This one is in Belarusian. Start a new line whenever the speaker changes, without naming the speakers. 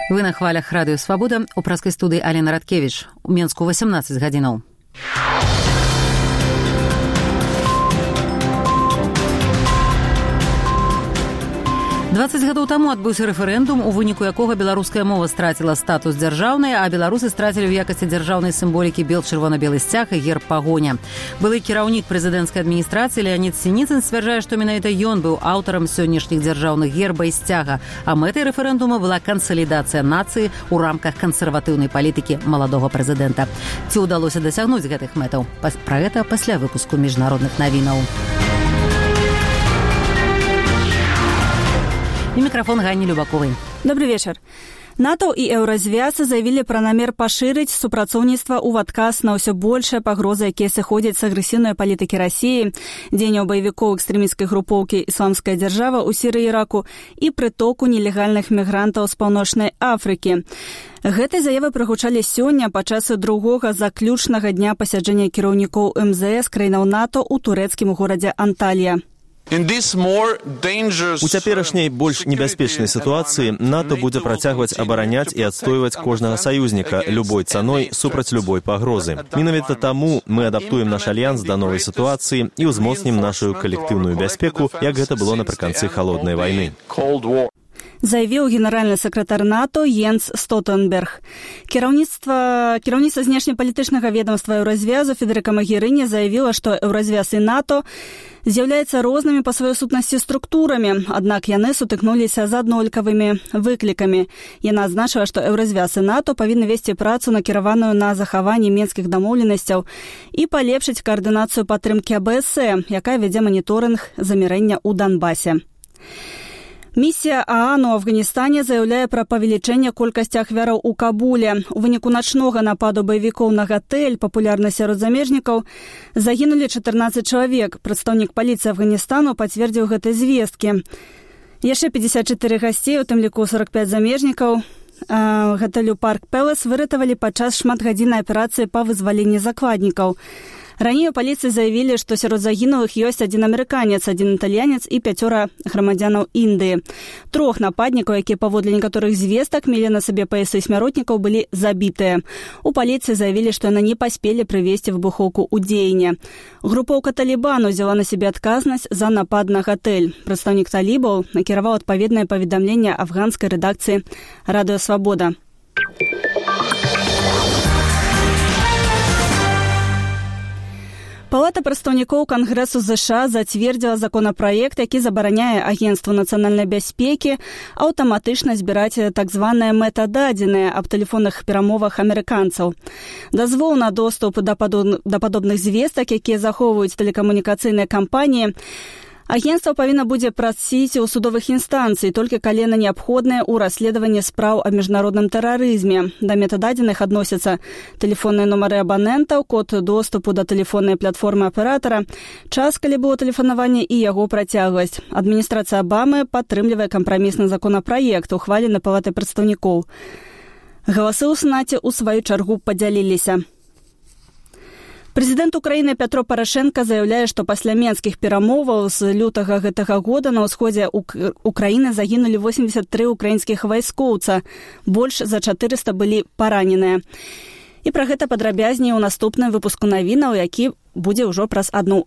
Вы на хвалях Радыё Свабода, у праскай студыі Алена Радкевіч. У Менску 18 гадзінаў. 20 гадоў таму адбыўся рэферэндум, у выніку якога беларуская мова страціла статус дзяржаўнай, а беларусы страцілі ў якасці дзяржаўнай сімволікі бел-чырвона-белы сцяг і герб пагоня. Былы кіраўнік прэзідэнцкай адміністрацыі Леанід Сініцын сцвярджае, што менавіта ён быў аўтарам сённяшніх дзяржаўных герба і сцяга, а мэтай рэферэндума была кансалідацыя нацыі ў рамках кансерватыўнай палітыкі маладога прэзідэнта. Ці ўдалося дасягнуць гэтых мэтаў? Пра гэта пасля выпуску міжнародных навінаў. И микрофон Ганни Любаковой.
Добрый вечер. НАТО и Еўразвяз заявили про намер поширить супрацоўніцтва ў адказ на ўсё большыя пагрозы, якія сыходзяць з агрэсіўнай палітыкі Расіі, дзеянняў баевікоў экстрэмісцкай групоўкі «Ісламская дзяржава» ў Сірыі і Іраку і прытоку нелегальных мігрантаў з Паўночнай Афрыкі. Гэтай заявы прагучалі сёння падчас другога заключнага дня пасяджэння кіраўнікоў МЗС краінаў НАТО ў турэцкім горадзе Анталія.
У цяперашняй больш небяспечнай сітуацыі НАТО будзе працягваць абараняць і адстойваць кожнага саюзніка любой цаной супраць любой пагрозы. Менавіта таму мы адаптуем наш альянс да новай сітуацыі і ўзмоцнім нашу калектыўную бяспеку, як гэта было напрыканцы халоднай вайны.
Заявіў генеральны сакратар НАТО Йенс Столтенберг. Кіраўніцтва знешнепалітычнага ведомства Еўразвязу Федэрыка Магерыні заявіла, што Еўразвяз і НАТО з'яўляюцца рознымі па сваёй сутнасці структурамі, аднак яны сутыкнуліся з аднолькавымі выклікамі. Яна адзначыла, што Еўразвяз і НАТО павінны весці працу, накіраваную на захаванне менскіх дамоўленасцяў і палепшыць каардынацыю падтрымкі АБС, якая вядзе маніторынг замірэння ў Донбасе. Місія ААН у Афганістане заяўляе пра павелічэнне колькасці ахвяраў у Кабуле. У выніку начнога нападу баевікоў на гатэль, папулярны сярод замежнікаў, загінулі 14 чалавек. Прадстаўнік паліцыі Афганістану пацвердзіў гэтай звесткі. Яшчэ 54 гасцей, у тым ліку 45 замежнікаў, гатэлю Парк Пэлас выратавалі падчас шматгадзіннай аперацыі па вызваленні закладнікаў. Раней у паліцыі заявілі, што сярод загінулых ёсць адзін амерыканец, адзін італьянец і 5 грамадзянаў Індыі. 3 нападнікаў, якія паводле некаторых звестак мелі на сабе паясы смяротнікаў, былі забітыя. У паліцыі заявілі, што яны не паспелі прывесці выбухоўку ў дзеянне. Групоўка Талібану взяла на сябе адказнасць за напад на гатэль. Прадстаўнік талібаў накіраваў адпаведнае паведамленне афганскай рэдакцыі «Радыё Свабода». Палата прадстаўнікоў Кангрэсу США зацвердзіла законапраект, які забараняе Агенцтву нацыянальнай бяспекі аўтаматычна збіраць так званыя метададзеныя аб тэлефонных перамовах амерыканцаў. Дазвол на доступ да падобных звестак, якія захоўваюць тэлекамунікацыйныя кампаніі, агенцтва павінна будзе прасіць у судовых інстанцый, толькі калі яны неабходныя ў расследаванні спраў аб міжнародным тэрарызме. Да метададзеных адносяцца тэлефонныя нумары абанентаў, код доступу да тэлефоннай платформы аператара, час, калі было тэлефанаванне і яго працягласць. Адміністрацыя Абамы падтрымлівае кампрамісны законапраект, ухвалены Палатай прадстаўнікоў. Галасы ў Сенаце ў сваю чаргу падзяліліся. Прэзідэнт Украіны Пятро Парашенка заяўляе, што пасля менскіх перамоваў з лютага гэтага года на ўсходзе Украіны загінулі 83 украінскіх вайскоўца, больш за 400 былі параненыя. І пра гэта падрабязней у наступным выпуску навінаў, які будзе ўжо праз 1